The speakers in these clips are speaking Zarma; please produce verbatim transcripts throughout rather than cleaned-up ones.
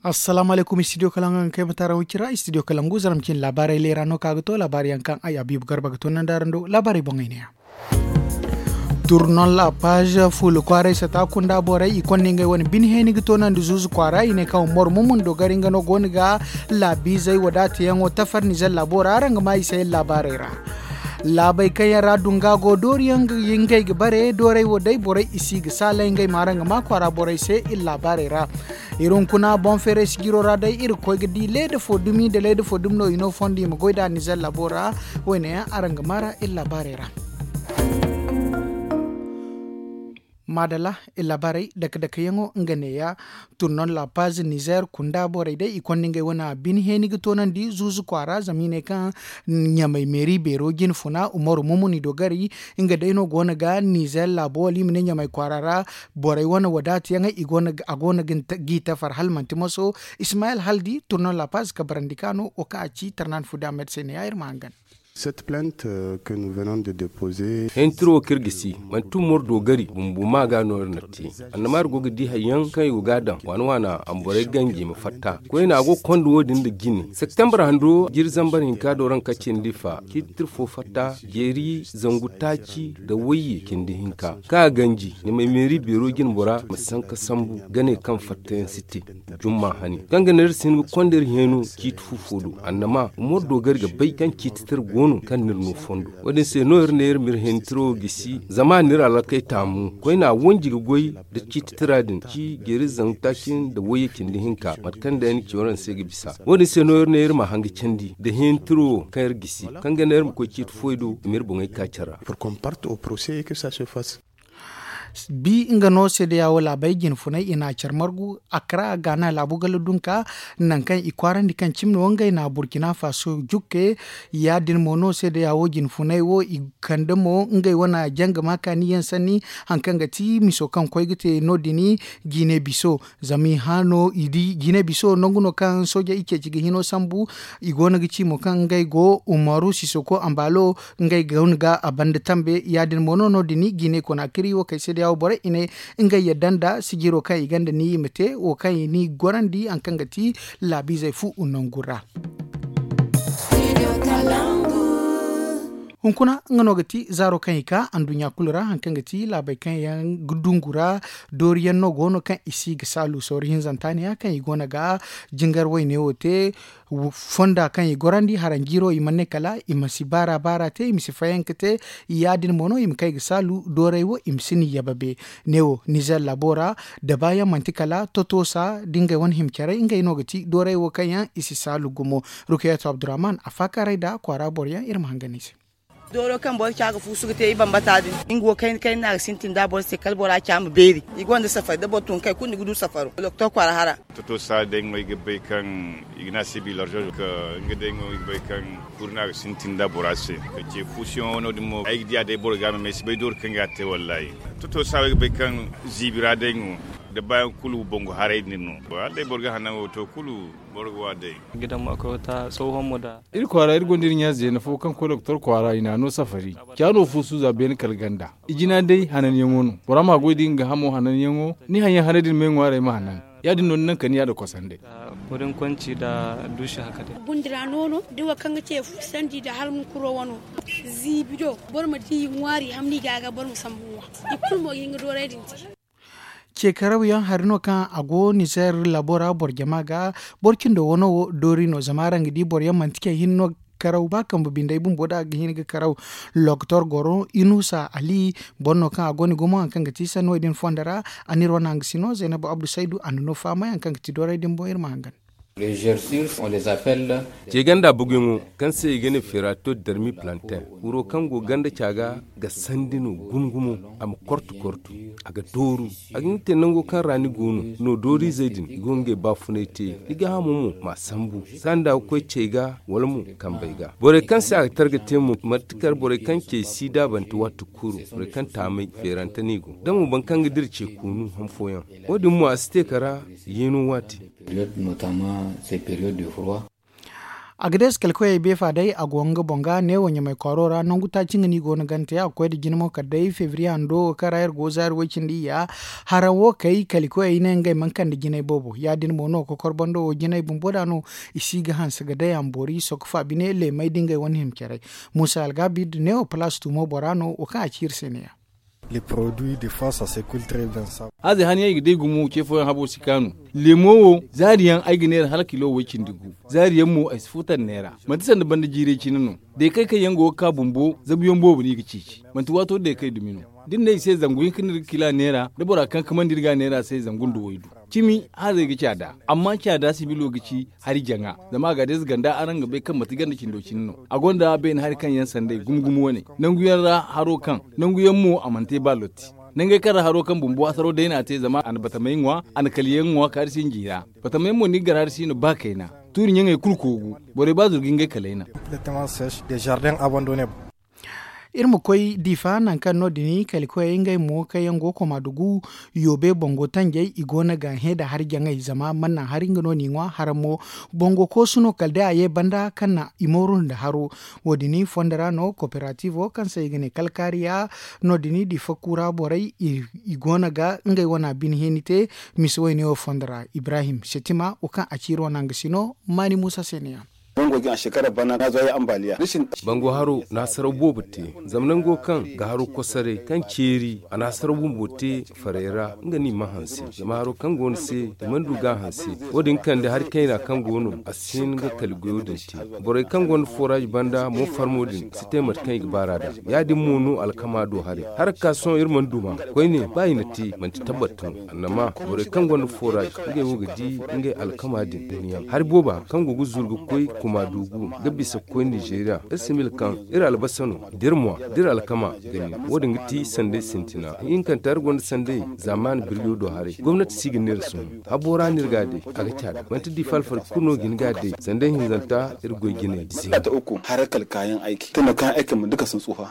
Assalaamu alaykum, istidiyo kalangu kaŋ ay ma taara hucci ra istidiyo kalangu zaramcin laabaarey leera no kaŋ a ga to laabaari yaŋ kaŋ ay habiibu garba ga to nandaaran do laabaarey boŋey neeya. Turnon la paaza fuula kwaaray sata kunda borey i konda ngey wane bine heeni ga toonandi zuuzu kwaara i ne kaŋ mor mumun dogari nga no go no ga laabiizey wadaata yaŋo tafar nizer laabo ra araŋ ga maa i se iri laabaarey ra. Laabey kaŋ yaŋ ra dunga go doori yaŋ ngey ga bare doorey wo day borey i si ga saalay ngey ma araŋ ga maa kwaara borey se iri laabaarey ra. Iri hunkuna boŋ feeray sijiro ra day iri ga koy ga di leeda fo dumi nda leeda fo dumi no i no fondo i ma goy nd'a nizer laabo ra. Wo- ne yaŋ araŋ ga maa ra iri laabaarey ra. Maadalla, iri laabaarey dake dake yaŋo nga neeya. Turnon la paaza nizer kunda borey day i konda ngey wane bine heeni ga toonandi zuuzu kwaara zama i ne kaŋ ɲamay meeri beero jinfuna umaru mumun i dogari nga day no go no ga nizer laabo wala i ma ne ɲamay kwaara ra. Borey wane wadaata yaŋey a go no g'i tafar hala manti moso. Ismayel haldi turnon la paaza kabarandi ka no wo kaŋ a ci tarnaani fu da a met se ne ya iri ma hangan. Hentiro wo kaŋ iri ga si manti umar doogari bumbo ma ga no iri na te. Annama iri go ga di hari yaŋ kaŋ i go ga a daŋ waana waana a ma borey ganji i ma fatta koyne a go ga konda wo- din nda jine septembre hando jiiri zambar hinka do ra nga ka cindi fa ciiti tira fo fatta jeeri zangu taaci nda wayye cindi hinka kaŋ a ganji ɲamay meeri beero jine bora ma sanka sambu gane kaŋ fatta yaŋ si te. Jumma hani kaŋ ga ne iri si hin ga konda iri heeno ciiti fu fo do annama umar doogari ga bay kaŋ ciiti tira go no kaŋ no iri no fondo. Wo- din se no iri ne iri ma iri heeni tira wo gisi zama a na iri alakey taamu koyne a wanji ga goy nda ciiti tira din ci jeeri zangu taaci nda wayye cindi hinka mate kaŋ day ni ci waraŋ se ga bisa. Wo- din se no iri ne iri ma hanga candi nda heeni tira wo kaŋ iri gisi kaŋ ga ne iri ma koy ciiti foy do i ma iri boŋey ka care ra. Bi nga no seedeya wo laabey jinfunay i na a care margu akra gaana laabu gala dunka nangu kaŋ i kwaarandi kaŋ cimi no ngey na burkina faso jukke. Ya- din mo no seedeya wo jinfunay wo i kande mo ngey wane janga ma kaani yaŋ sanni hari kaŋ ga ti miso kaŋ koy ga te no- din jine biso. Zama i hã no i di jine biso nangu no kaŋ soojey i ceeci ga hino sambu. I go no ga ci mo kaŋ ngey go umaru sisoko ambalo ngey go no ga a banda tambe ya- din mo no no- din jine konaakiri wo kay seedeya wo borey i ne ngey yadda nda sijiro kaŋ i gonda ni i ma te wo kaŋ i n'i gorandi hari kaŋ ga ti laabiizey fu nangu ra. Hunkuna nga no ga ti zaaro kaŋ i ka anduɲɲa kulu ra hari kaŋ ga ti laabey kaŋ yaŋ ga dungu ra. Doori yaŋ no go no kaŋ i si ga saalu sawru hinzanta ne- ya kaŋ i go no ga jingar wayne wo te. Fonda kaŋ i gorandi haranjiiro i mana ne kala i ma si baara baara te i ma si fayanka te. Ya- din mo no i ma kay ga saalu dooray wo i ma si ni yababe. Ne wo nizer laabo ra da baayaŋ manti kala totosa da ngey wane hima caray ngey no ga ti dooray wo kaŋ yaŋ i si saalu gumo. Rukayatu abdurrahman a faakaaray nda kwaara boro yaŋ iri ma hangan i se. Dooro kaŋ boro ca ga fuusu ga te i bambata din nga wo kayna kayna no a ga sintin nda boro se kala bora ca ma beeri. I gonda safari da boro tun kay kulu ni ga du safaro doktor kwaara hara. Totosa day ŋo ay ga bay kaŋ i ga ne a se bilarzo ka nga day ŋo ay ga bay kaŋ kuri no a ga sintin nda bora se. Ka ce fuusuyaŋo no- din mo ay ga di a day boro ga a ma may si bay dooro kaŋ ga a te wallaahi. Totosa wo ay ga bay kaŋ ziibi ra day ŋo da baayaŋ kulu bangu haray din no. Hala day boro ga hanango to kulu boro ga wa day. Iri kwaara iri gonda iri ɲa zeena fo kaŋ koy doktor kwaara i na a no safari. Ca no fuusu za beene kala ganda. I jina day hananyaŋo no bora ma goy da nga hamo hananyaŋo. Ni haŋ yaŋ haray din me ŋwaaray ma hanan. Ya- din no ni naŋ ka ni ya da kosandey. Gundira noono da wo kaŋ ga ce fuusandi da hala hunkuro wano. Ziibi do boro ma di ŋwaari hamni ga ga boro ma sambu ŋwa. I kulu mo ga hin ga dooray din te. Ce karaw yaŋ hari no kaŋ a go nizer laabo ra boro jama ga. Boro cindo wano wo doori no zama araŋ ga di boro yaŋ manti ce hinne no ga karaw ba kambe bindey bumbo da a ga hin ga karaw. Loktor goro inusa ali boro no kaŋ a go ni gumo hari kaŋ ga ti sanni wo- din fondo ra. A na iri wane hangasino zaynabu abdu saydu a na no fahamay hari kaŋ ga ti dooray din boŋ iri ma hangan. Ceganda buguyaŋo kaŋ se i ga ne ferato darmi plantain wuro kaŋ go ganda ca ga ga sandi no gumo gumo. A ma kortu kortu a ga dooru. A ga hin ga te nango kaŋ ra ni go no no dooriizey din i go ngey baafunay te. Ni gaahamo mo ma a sambu sanda ga koy cey ga wala mo kambey ga borey kaŋ se a ga targa te mo martikar borey kaŋ cey si daabante waati kuru borey kaŋ taamay feerante no i go da mo boro kaŋ ga dira ce koonu han fooyaŋ. Wo- din mo a si te kala yeeno waati. Agades kalkoyey beefa day a go nga boŋ ga neewo ɲamay kwaaro ra nangu taaci nga no i go no gante a ga koy nda jina mo kala day febriye hando wo kaŋ ra iri go zaari way-cindi iyya. Haraŋ wo kay kalkoyey ne ngey mana kande jinay boobo ya- din mo no kokor bando wo jinay bumbo da no. I si ga hanse ga day a ma boori sokko faabine leemay da ngey wane hima caray. Muusa algabid neewo palaas tuumo bora no wo kaŋ a ci iri se ne- ya. Hazey haniyaŋ i ga day gumo ce fooyaŋ habo si kaanu. Leemo wo zaari yaŋ ay ga neera hala kilo way-cindi gu. Zaari yaŋ mo ay si fuutar neera. Manti sanda banda jiiray cine no. Deekay kaŋ yaŋ go ga ka bumbo zabuyaŋ boobo no i ga ceeci. Manti waato deekay dumi no. Da ni ne i se zangu hinka no iri ga kila neera da bora kaŋ kamandi iri ga a neera se zangu nda waydu. Cimi hazey ga caada. Amma caada sibilo ga ci hari jaŋa. Zama a ga deeza ganda araŋ ga bay kaŋ manti ganda cindo cine no. A gonda beene hari kaŋ yaŋ sanday gumo gumo wane. Nangu yaŋ ra haro kaŋ nangu yaŋ mo a mana te ba lotti. Nangey kaŋ ra haro kaŋ bumbo hasaro day no a te zama a na batamey ŋwa, a na kaliyaŋ ŋwa kaari si nji ra. Batamey mo no i ga gar hari si no ba kayna. Tuuri ɲaŋey kulu koogu. Borey ba zuru ga ngey kalay naŋ. Iri ma koy diifa nangu kaŋ no- din kalikoyey ngey mo kaŋ yaŋ go koma dugu. Yoobe bango tanjey i go no ga hẽ nda hari jaŋay zama mana naŋ hari nga no n'i ŋwa haraŋ mo. Bango koosu no kala day a ye banda kaŋ na i mooru nda haro. Wo- din fondo ra no koperatiivo kaŋ se i ga ne kalkaariya. No- din diifa kuura borey i go no ga ngey wana bine hẽeni te. Mise wayne wo fondo ra ibrahim setima wo kaŋ a ci iri wana nga si no maani muusa se ne- ya. Bango haro na hasaraw boobo te. Zama nango kaŋ ga haro kosoray kaŋ ceeri a na hasaraw bumbo te farey ra nga no i mana hanse. Zama haro kaŋ go no se i mana du ga a hanse. Wo- din kande hari kayna kaŋ go no a si hin ga kali goyo din te. Borey kaŋ gonda foraaz banda mo farmo din si te mate kaŋ i ga baar'a nd'a. Ya- din mo no alkama do haray. Hara ga ka sohõ iri mana duma koyne ba i na te manti tabbat no. Annama borey kaŋ gonda foraaz ngey wo ga di ngey alkama din duniyaŋ hari booba kaŋ go ga zuru ga koy kuma duugu ga bisa ga koy nizeeriya. Iri si mila kaŋ iri albasa no da iri mwa da iri alkama ga nin wo- din ga ti sanday sintina hinkanta iri gonda sanday. Zaamaani birjo do haray gomnati si ga neera sohõ. Habo ra no iri ga a day a ga caada manti diifa alfarka kulu no ga hin ga a day sanday hinzanta iri goy jinay. Haray kala kaayaŋ ayki tunda kaayaŋ ayki ma duka sun tsufa.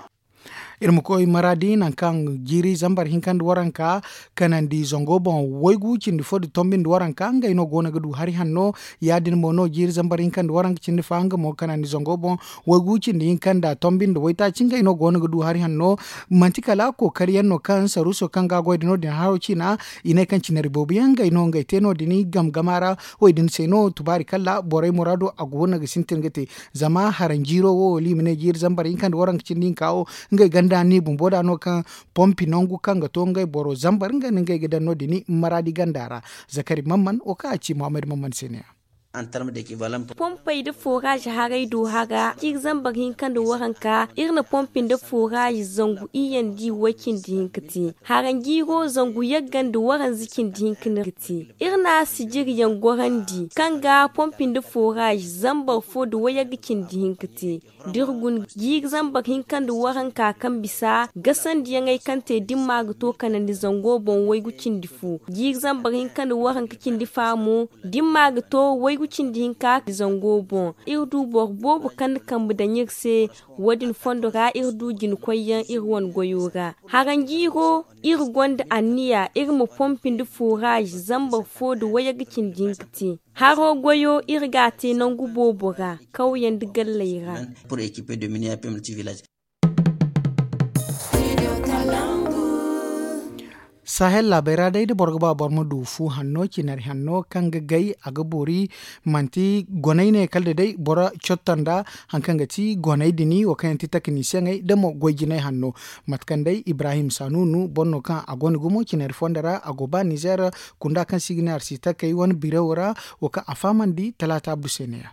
Iri ma koy maraadi nangu kaŋ jiiri zambar hinka nda waranka kanandi zango boŋ waygu cindi fo nda tombi nda waranka ngey no go no ga du hari hanno. Ya- din mo no jiiri zambar hinka nda waranka cindi fa nga mo kanandi zango boŋ waygu cindi hinka nda tombi nda waytaaci ngey no go no ga du hari hanno. Manti kala kookari yaŋ no kaŋ saruuso kaŋ ga a goy nda no- din haro ciina i ne kaŋ cinari boobo yaŋ ngey no ngey te no- din gamgama ra. Wo- din se no tubaari kala borey muraado a go no ga sintin ga te. Zama haranjiiro wo wala i ma ne jiiri zambar hinka nda waranka cindi hinka wo ngey ganda ni bumbo da no kaŋ pompi nangu kaŋ ga to ngey boro zambar nga no ngey ga daŋ no- din maraadi ganda ra. Zakari mamman wo kaŋ a ci muhammad mamman se ne- ya. Pompey nda foraaz haray do hara jiiri zambar hinka nda waranka iri na pompi nda foraaz zangu iyye nda i way cindi hinka te. Haranjiiro zangu yagga nda waranza cindi hinka no iri ga te. Iri na sijiri yaŋ gorandi kaŋ ga pompi nda foraaz zambar fo nda wayagga cindi hinka te. Da iri guna jiiri zambar hinka nda waranka kaŋ bisa gasandiyaŋey kaŋ te dimma ga to kanandi zango boŋ waygu cindi fo jiiri zambar hinka nda waranka cindi fa mo. Dimma ga to waygu cindi hinka zango boŋ iri du boro boobo kaŋ na kambe daŋ iri se. Wo- din fondo ra iri du jina koyyaŋ iri wane goyo ra. Haranjiiro iri gonda anniya iri ma pompi nda foraaz zambar fo nda wayagga cindi hinka te. Haro goyo iri ga a te nangu boobo ra kawyaŋ nda galley ra. Sahel laabey ra day da boro ga ba boro ma du fu hanno cinari hanno kaŋ ga gay a ga boori. Manti goney ne kala da day boro cotto nda haŋ kaŋ ga ti goney dini wo kaŋ yaŋ ti takanisiyaŋey da mo goy jinay hanno. Mate kaŋ day ibrahim sanunu boro no kaŋ a gonda gumo cinari fondo ra a go ba nizer. Kunda kaŋ si ga ne arsitakey wane birewo ra wo kaŋ a fahamandi talaata abdu se ne- ya.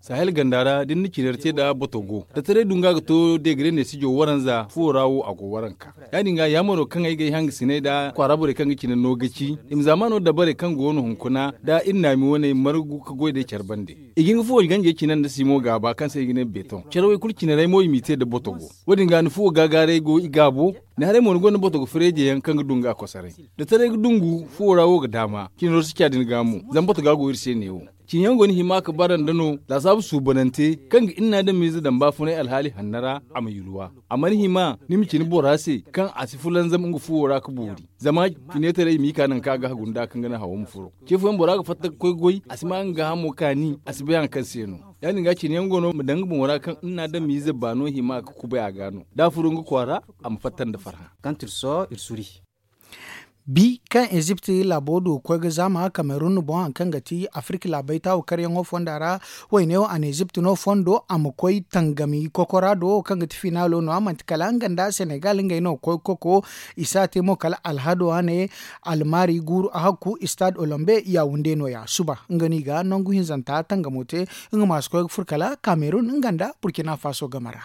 Sahel ganda ra da ni na cinari te nda botogo da taray dunga ga to degre ne sijo waranza fuwo ra wo a go waranka. Ya- din ga yaamaro kaŋ ay ga ay hangasinay nda kwaara borey kaŋ ga cine no ga ci i ma zaamaano dabarey kaŋ go no hunkuna nda iri naami wane margu ga goy day care bande. I ga hin ga fuwo ganjey cine nda simo gaaba kaŋ se i ga ne beton care wo i kulu cinarey mo i m'i te nda botogo. Wo- din ga ni fuwo gaagaaray go i gaabo. Ni haray mo ni gonda botogo fireeje yaŋ kaŋ ga du nga kosoray da taray ga dungu fuwo ra wo ga daama cinaro si ca din ga mo. Zama botoga go iri se neewo. Cin yaŋ go ni hima ka bara nda no laasaabu suubanante kaŋ ga inna da miize daŋ baafunay alhaali hanna ra. A ma yulwa a mana hima ni ma cin bora se kaŋ a si fulanzam nga fuwo ra ga boori. Zama fineetaray i m'i ka naŋ kaŋ a ga hagu nda kaŋ ga naŋ hawo ma furo. Ce fooyaŋ bora ga fatta ga koy goy a si ma nga gaahamo kaani a si bay haŋ kaŋ se no. Ya- din ga cin yaŋ go no ma daŋ nga boŋo ra kaŋ inna da miize baano hima ga kubay a ga no da a furo nga kwaara. A ma fatta nda farhã. Bi kaŋ ezipt laabo du ga koy ga zaama kamerun boŋ hari kaŋ ga ti afirka laabey taawu karyaŋo fonda ra. Wayne wo a na ezipt no fondo a ma koy tangami kokora do wo kaŋ ga ti finaalo no- ya manti kala nga nda senegal ngey no ga koy ga koko. I si a te mo kala alhado a ne almaari guuru a hakku istad olombe yawunde no- ya suba nga no i ga nangu hinzanta tangamo te. Nga ma si koy ga furo kala kamerun nga nda burkina faso game ra.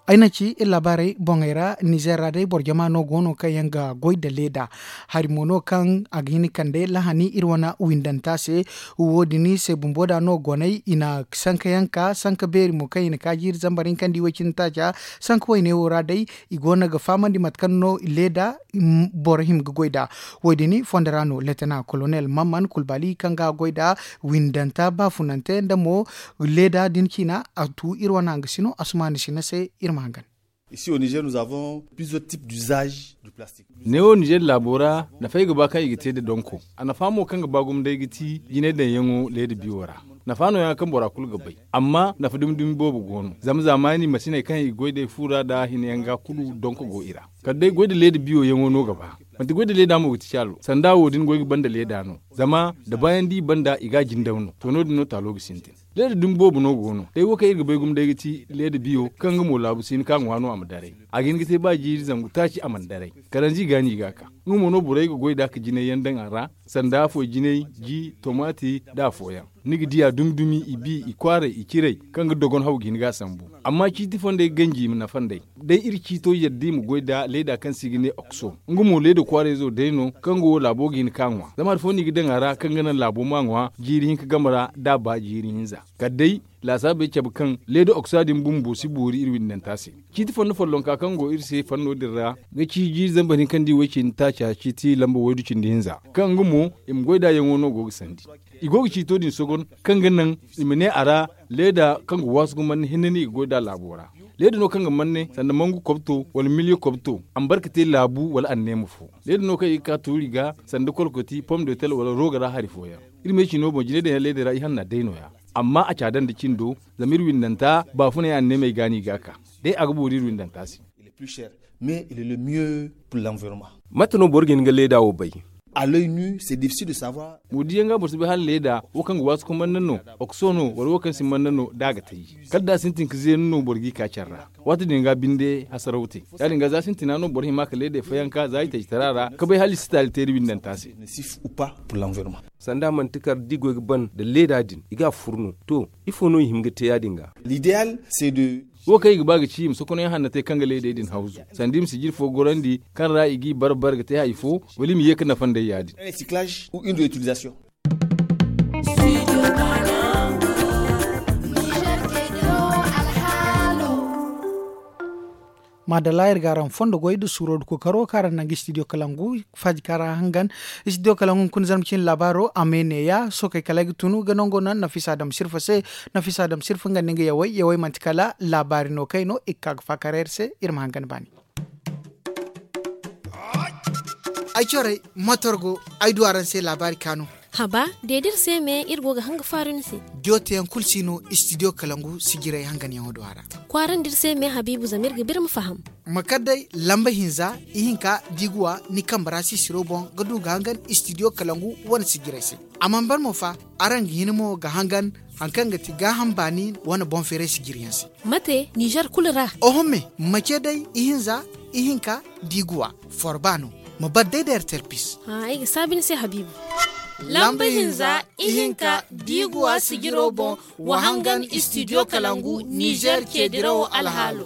Ay na ci iri laabaarey boŋey ra nizer ra day boro jama no go no kaŋ yaŋ ga goy nda leeda. Hari mo no kaŋ a ga hin ga kande lahani iri wane windanta se. Wo- din se bumbo da no goney i na sanka yaŋ ka sanka beeri mo kaŋ i na ka jiiri zambar hinka nda i way cindi taaca. Sanka wayne wo ra day i go no ga fahamandi mate kaŋ no leeda boro hima ga goy nd'a. Wo- din fondo ra no letena kolonel mamman kulbali kaŋ ga goy nd'a windanta baafunante nda mo leeda din ciina a tu iri wane hangasino asumaani sina se. Iri ma hangan. Neewo nizer laabo ra nafay ga ba kaŋ i ga te nda donko. A nafa mo kaŋ ga ba gumo day ga ti jinay daŋyaŋo leeda biyo ra. Nafa nooya kaŋ bora kulu ga bay. Amma nafa dumi dumi boobo go no zama zaamaani masiney kaŋ i ga goy day fu ra nda hina yaŋ ga kulu donko go i ra. Kala day goy nda leeda biyo yaŋo no ga ba. Manti goy nda leeda mo ga ti caalo sanda wo- din goy ga ban nda leeda no. Zama da baayaŋ da i banda i ga a jindaw no to no- din no taalo ga sintin. Leeda dumi boobo no go no day wo kaŋ iri ga bay gumo day ga ti leeda biyo kaŋ nga mo laabu si hin ka ŋwa no a ma daray. A ga hin ga te ba jiiri zangu taaci a mana daray. Kalanzi ga no i ga a ka. Nga mo no borey ga goy nd'a ka jinay yaŋ daŋ a ra. Sanda afooyaŋ jinay, ji, tomaati, nda afooyaŋ ni ga di a dumi dumi i bi i kwaaray i ciray kaŋ ga dogon haw ga hin ga a sambu. Amma ciiti fondey ganji i ma nafa nd'ey. Day iri ciito yadda i ma goy nda leeda kaŋ se i ga ne okso. Nga mo leeda kwaarayzo day no kaŋ go laabo ga hin ka ŋwa zama hari fo no i ga daŋ a ra kaŋ ga naŋ laabo ma ŋwa jiiri hinka game ra da a ba jiiri hinza. Kala day laasaabey cabe kaŋ leeda oksa din bumbo si boori iri windanta se. Ciiti fondo follonka kaŋ go iri se fanno din ra ga ci jiiri zambar hinka nda i way cindi taaca ciiti lamba waydu cindi hinza. Kaŋ nga mo i ma goy nd'a yaŋo no go ga sandi. I go ga ciito din sogon kaŋ ga naŋ i ma ne a ra leeda kaŋ ga waasu ga manne hinne no i ga goy nd'a laabo ra. Leeda no kaŋ ga manne sanda mangu kobto wala miliyo kobto a ma bare ga te laabu wala anneema fo. Leeda no kaŋ i ga ka tuuri ga sanda kolkoti pom de tel wala rooga ra hari fooyaŋ. Iri ma ay ci no boŋ jinay daŋ yaŋ leeda ra i hanna day nooya. Amma a caada nda cindo zama iri windanta baafunay anneemey ga no i ga a ka. Day a ga boori iri windanta se. Mate no boro ga hin ga leeda wo bay? Mo diyaŋ ga boro si bay hala leeda wo kaŋ ga waasu ka manna no okso no wala wo kaŋ si manna no da a ga taji. Kala da a sintin ka zeenu no boro g'i ka care ra. Waati din ga binde hasaraw te. Ya- din ga za sintina no boro hima ka leedey fayanka za i taji tara ra ka bay hala i si taali teeri windanta se. Sanda manti kala da i goy ga ban nda leeda din i ga a furu no to ifo no i hin ga te ya- din ga? Wo kaŋ i ga ba ga ci i ma sokonay hanna te kaŋ ga leedey din hawzu sanda i ma sijiri fo gorandi kaŋ ra i g'i bare bare ga te hari fo wala i ma ye ga nafa nd'ey ya- din. Maadalla iri ga araŋ fondo goy nda suuro nda kookaro kaŋ araŋ naŋ ga istidiyo kalangu faaji kaŋ ra hangan. Istidiyo kalangu hunkuna zarma cine laabaaro a ma ne ya sookey kala ay ga tunu ga nango naŋ nafisa dam sirfa se. Nafisa dam sirfa nga nda nga yawey yawey manti kala laabaari no kaŋ ay no i ga ka ga faakar iri se iri ma hangan baani. Ay corey motor go ay du araŋ se laabaari kaanu. Haba de da iri se me iri go ga hanga faaru ni se. Diyo teyaŋ kulu si no istidiyo kalangu sijirey hanganyaŋo do a ra. Kwaarandi iri se me habiibu zama iri ga ba iri ma faham. Ma kar day lamba hinza ihinka da i ga wa ni kambe ra sisiro boŋ ga du ga hangan istidiyo kalangu wane sijirey se. A mana ban mo fa araŋ ga hin mo ga hangan hari kaŋ ga ti gaaham baani wane boŋ feeray sijiriyaŋ se. Mate nizer kulu ra? Oho me ma ce day ihinza ihinka da i ga wa forba no. Ma bar day da ertel pis. Ay ga saabi ni se habiibu. Lamba hinza ihinka da i ga wa sijiro boŋ wa hangan istidiyo kalangu nizer ceedirawo alhaalo.